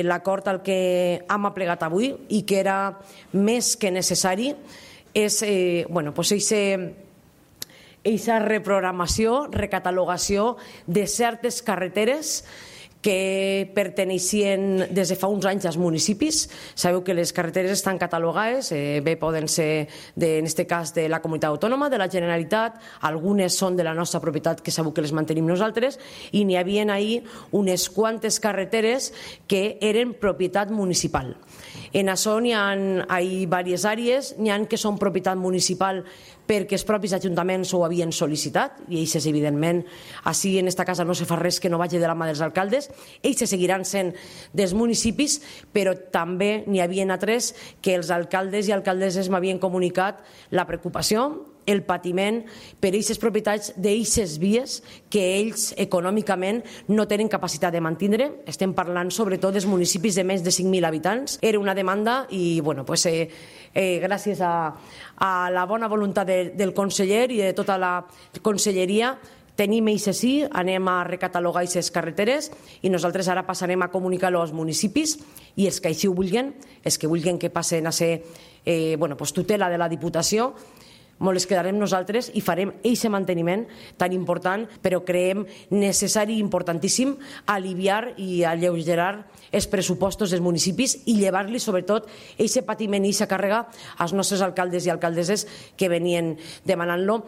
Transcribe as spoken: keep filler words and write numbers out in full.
L'acord al que hem aplegat avui i que era més que necessari és eh, bueno, pues aquesta reprogramació, recatalogació de certes carreteres que perteneixien des de fa uns anys als municipis. Sabeu que les carreteres estan catalogades, eh, bé poden ser, de, en aquest cas, de la comunitat autònoma, de la Generalitat, algunes són de la nostra propietat, que sabeu que les mantenim nosaltres, i n'hi havia ahir unes quantes carreteres que eren propietat municipal. En això n'hi ha diverses àrees, n'hi ha que són propietat municipal perquè els propis ajuntaments ho havien sol·licitat, i ells, evidentment, així en aquesta casa no se fa res que no vagi de la mà dels alcaldes, ells seguiran sent dels municipis, però també n'hi havia altres que els alcaldes i alcaldesses m'havien comunicat la preocupació, el patiment per aquestes propietats d'aquestes vies que ells econòmicament no tenen capacitat de mantindre. Estem parlant sobretot dels municipis de més de cinc mil habitants. Era una demanda i bueno, pues, eh, eh, gràcies a, a la bona voluntat de, del conseller i de tota la conselleria tenim eixe sí, anem a recatalogar aquestes carreteres i nosaltres ara passarem a comunicar-ho als municipis i els que així ho vulguin, els que vulguin que passen a ser eh, bueno, pues, tutela de la Diputació, molt les quedarem nosaltres i farem aquest manteniment tan important, però creiem necessari i importantíssim aliviar i alleugerar els pressupostos dels municipis i llevar-li sobretot aquest patiment i aquesta càrrega als nostres alcaldes i alcaldesses que venien demanant-lo.